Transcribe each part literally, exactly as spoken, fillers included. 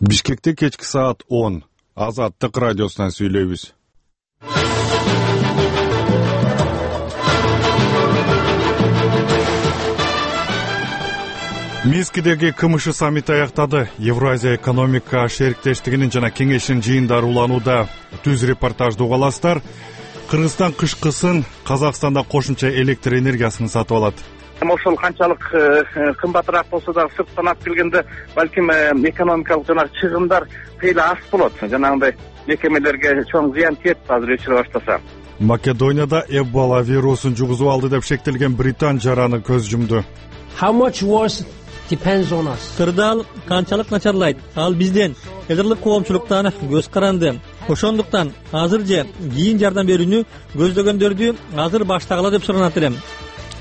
Бишкекте кечки саат он. Азаттык радиосунан сүйлөйбүз. Минскидеги КМШ саммити аяктады. Евразия экономика шериктештигинин жана кеңешинин жыйындары уланууда. Түз репортажды угаласыздар. Кыргызстан кышкысын Казакстанда кошумча электр энергиясын сатып алат. Ошол канчалык кымбатыраак болсо дагы сырттан алып келгенде балким экономикалык жана чыгымдар кыйла аз болот. Жанагындай мекемелерге чоң зыян тиет азыр өчүрө баштаса. Македонияда Эбола вирусун жугузуп алды деп шектелген Британ жараны көз жумду. How much worse depends on us. Кырдаал канчалык начарлайт, ал бизден. Элдирлик коомчулуктан көз каранды. Ошондуктан азыр же кийин жардам берүүнү көздөгөндөрдү азыр баштагыла деп суранат элем.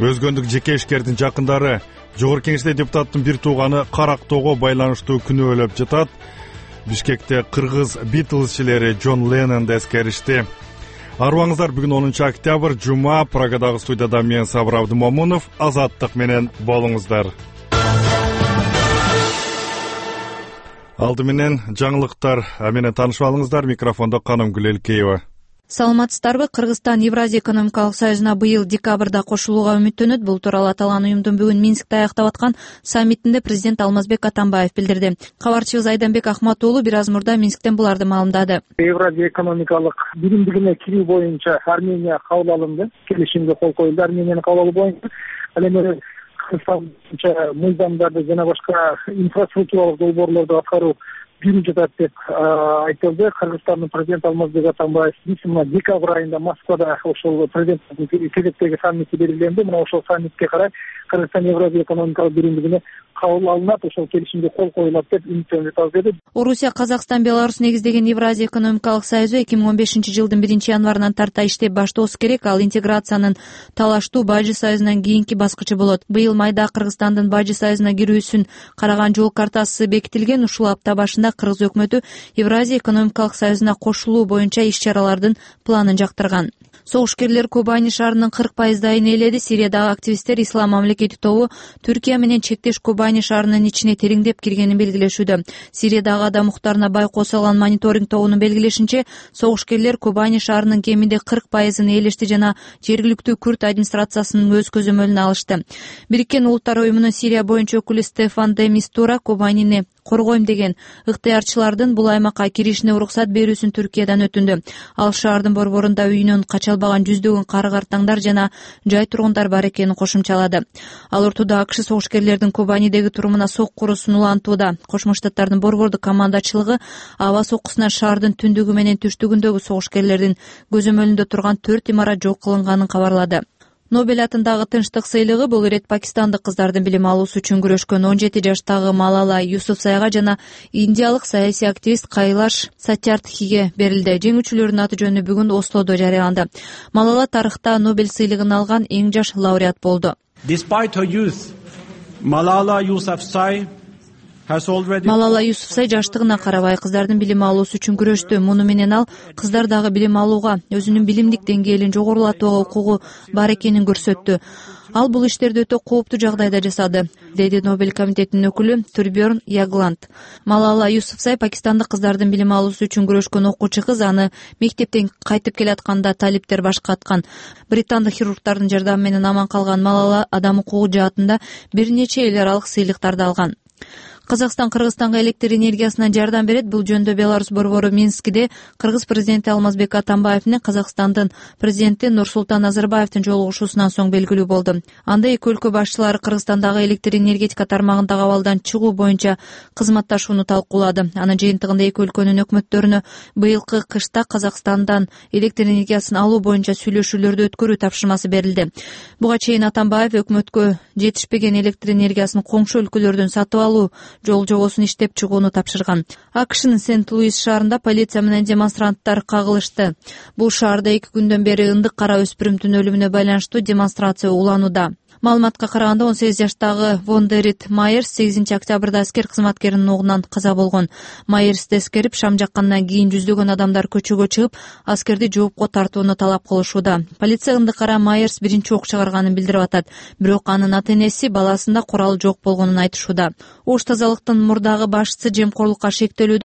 Өзгөндүк жеке ишкердин жакындары Жогорку Кеңеште депутаттын бир тууганы карактоого байланыштуу күнөөлөп жатат. Бишкекте кыргыз Битлзчилери Джон Леннонду эскеришти. Арыбаңыздар, бүгүн онунчу октябрь, жума. Прагадагы студияда мен Сабыр Абдымомунов. Азаттык менен болуңуздар. Алды менен жаңылыктар менен таанышып алыңыздар. Микрофондо Канымгүл Элкеева. Саламатсыздарбы? Кыргызстан Евразия экономикалык союзуна быйыл декабрда кошулууга үмүттөнөт. Бул тууралуу аталган уюмдун бүгүн Минскте аяктап аткан саммитинде президент Алмазбек Атамбаев билдирди. Кабарчыбыз Айданбек Ахмат уулу бир аз мурда Минсктен буларды маалымдады. Евразия экономикалык биримдигине кирүү боюнча Армения кабыл алынды. Келишимге кол коюлду. Армениянын кабыл алуу боюнча ал эми Кыргызстан боюнча мыйзамдарды жана башка инфраструктуралык долбоорлорду аткаруу жүрүп жатат деп айтылды. Кыргызстандын президенти Алмазбек Атамбаев мына декабрь айында Москвада ошол президенттин кезектеги саммити белгиленди. Мына ошол саммитке карай Кыргызстан Евразия экономикалык биримдигине кабыл алынат, ошол келишимге кол коюлат деп үмүттөнүп деди. Орусия, Казакстан, Беларусь негиздеген Евразия экономикалык союзу эки миң он бешинчи жылдын биринчи январынан тарта иштеп баштоосу керек. Ал интеграциянын талаштуу Бажы союзунан кийинки баскычы болот. Быйыл майда Кыргызстандын Бажы союзуна кирүүсүн караган жол картасы бекитилген. Ушул апта башында Кыргыз өкмөтү Евразия экономикалык союзуна кошулуу боюнча иш-чаралардын планын жактырган. Согушкерлер Кобани шаарынын кырк пайыздайын ээледи. Сириядагы активисттер Ислам мамлекети тобу Түркия менен чектеш Кобани шаарынын ичине тереңдеп киргенин белгилешүүдө. Сириядагы адам укуктарына байкоо салган мониторинг тобунун белгилешинче, согушкерлер Кобани шаарынын кеминде кырк пайызын ээлешти жана жергиликтүү күрд администрациясынын өз көзөмөлүнө алышты. Бириккен Улуттар уюмунун Сирия боюнча өкүлү Стефан де Мистура Кобанини коргойм деген ыктыярчылардын бул аймакка киришине уруксат берүүсүн Түркиядан өтүндү. Ал шаардын борборунда үйүнөн кача албаган жүздөгөн кары-картаңдар жана жай тургундар бар экенин кошумчалады. Ал ортодо АКШ согушкерлердин Кобанидеги турумуна соккурусун улантууда. Кошмо Штаттардын борбордук командачылыгы аба соккусунан шаардын түндүгү менен түштүгүндөгү согушкерлердин көзөмөлүндө турган төрт имарат жок кылынганын кабарлады. Нобель атындагы тынчтык сыйлыгы бул ирет пакистандык кыздардын билим алуусу үчүн күрөшкөн он жети жаштагы Малала Юсуфзайга жана индиялык саясий активист Кайлаш Сатьярдхиге берилди. Жеңүүчүлөрдүн аты жөнү бүгүн Ослодо жарыяланды. Малала тарыхта Нобель сыйлыгын алган эң жаш лауреат болду. Despite her youth, Malala Yousafzai Малала Юсуфзай жаштыгына карабай кыздардын билим алуусу үчүн күрөштү. Муну менен ал кыздар дагы билим алууга, өзүнүн билимдик деңгээлин жогорулатууга укугу бар экенин көрсөттү. Ал бул иштерди өтө кооптуу жагдайда жасады, деди Нобель комитетинин өкүлү Турберн Ягланд. Малала Юсуфзай пакистандык кыздардын билим алуусу үчүн күрөшкөн окуучу кыз. Аны мектептен кайтып келатканда талиптер башка аткан. Британдык хирургдардын жардамы менен аман калган Малала адам укугу жаатында бир нече эл аралык сыйлыктарды алган. Казакстан Кыргызстанга электр энергиясынан жардам берет. Бул жөнүндө Беларусь борбору Минскиде Кыргыз президенти Алмазбек Атамбаев менен Казакстандын президенти Нурсултан Назарбаевдин жолугушуусунан соң белгилүү болду. Анда эки өлкө башчылары Кыргызстандагы электр энергетика тармагындагы абалдан чыгуу боюнча кызматташууну талкуулады. Анын жыйынтыгында эки өлкөнүн өкмөттөрүнө быйылкы кышта Казакстандан электр энергиясын алуу боюнча сүйлөшүүлөрдү өткөрүү тапшырмасы берилди. Буга чейин Атамбаев өкмөткө жетишпеген электр энергиясын коңшу өлкөлөрдөн сатып алуу жол жобосун иштеп чыгууну тапшырган. АКШнын Сент-Луис шаарында полиция менен демонстранттар кагылышты. Бул шаарда эки күндөн бери ындык кара өспүрүмдүн өлүмүнө байланыштуу демонстрация уланууда. Маалыматка караганда он сегиз жаштагы Вондерит Майерс сегизинчи октябрда аскер кызматкеринин оогунан каза болгон. Майерсти эскерип шам жаккандан кийин жүздөгөн адамдар көчөгө чыгып, аскерди жоопко тартууну талап кылышууда. Полиция ындыкара Майерс биринчи ок чыгарганын билдирип атат. Бирок анын ата-энеси баласында курал жок болгонун айтышууда. Ош тазалыктын мурдагы башчысы жемкорлукка шектелүү